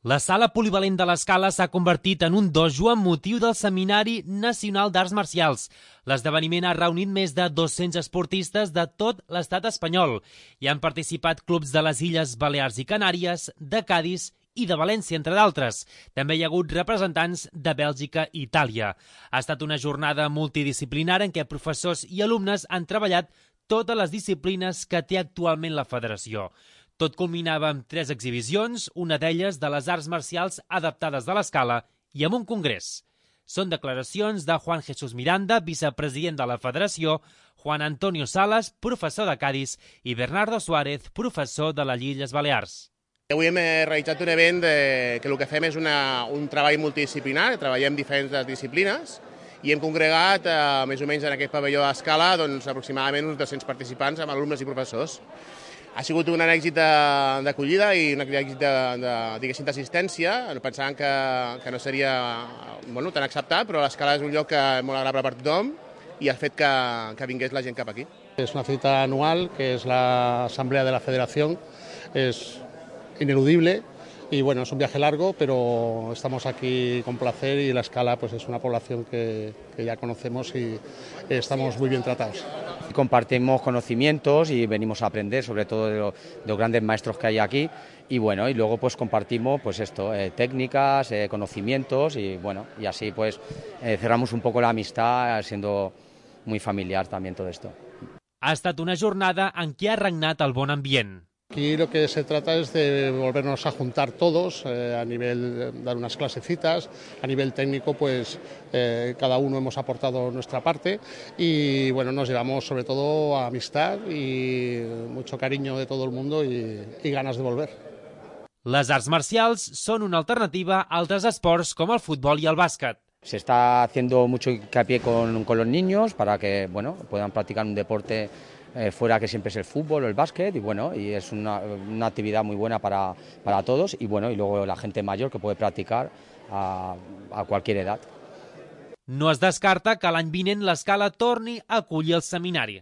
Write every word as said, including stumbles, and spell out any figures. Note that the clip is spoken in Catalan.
La sala polivalent de l'Escala s'ha convertit en un dojo amb motiu del Seminari Nacional d'Arts Marcials. L'esdeveniment ha reunit més de dos-cents esportistes de tot l'estat espanyol. Hi han participat clubs de les Illes Balears i Canàries, de Cadis i de València, entre d'altres. També hi ha hagut representants de Bèlgica i Itàlia. Ha estat una jornada multidisciplinària en què professors i alumnes han treballat totes les disciplines que té actualment la federació. Tot culminava amb tres exhibicions, una d'elles de les arts marcials adaptades de l'Escala i amb un congrés. Són declaracions de Juan Jesús Miranda, vicepresident de la federació, Juan Antonio Salas, professor de Cadis, i Bernardo Suárez, professor de les Illes Balears. Avui hem realitzat un event de, que el que fem és una, un treball multidisciplinar, treballem diferents disciplines i hem congregat eh, més o menys en aquest pavelló a Escala doncs, aproximadament uns dos-cents participants amb alumnes i professors. Ha sigut un èxit d'acollida i un èxit d'assistència. Pensàvem que, que no seria bueno, tan acceptat, però l'Escala és un lloc que és molt agradable per tothom i el fet que, que vingués la gent cap aquí. Es una cita anual que es la Asamblea de la Federación, es ineludible y bueno, es un viaje largo, pero estamos aquí con placer y la Escala pues, es una población que, que ya conocemos y estamos muy bien tratados. Compartimos conocimientos y venimos a aprender, sobre todo de, lo, de los grandes maestros que hay aquí, y bueno, y luego pues compartimos pues esto, eh, técnicas, eh, conocimientos y bueno, y así pues eh, cerramos un poco la amistad, siendo muy familiar también todo esto. Ha estat una jornada en què ha regnat el bon ambient. Aquí lo que se trata es de volvernos a juntar todos eh, a nivel de dar unas clasecitas, a nivel técnico pues eh, cada uno hemos aportado nuestra parte y bueno, nos llevamos sobre todo a amistad y mucho cariño de todo el mundo y, y ganas de volver. Les arts marcials són una alternativa a altres esports com el futbol i el bàsquet. Se está haciendo mucho hincapié con, con los niños para que bueno, puedan practicar un deporte Eh, fuera que siempre es el fútbol o el básquet y bueno, y es una, una actividad muy buena para, para todos y bueno, y luego la gente mayor que puede practicar a, a cualquier edad. No es descarta que l'any vinent l'Escala torni a acollir el seminari.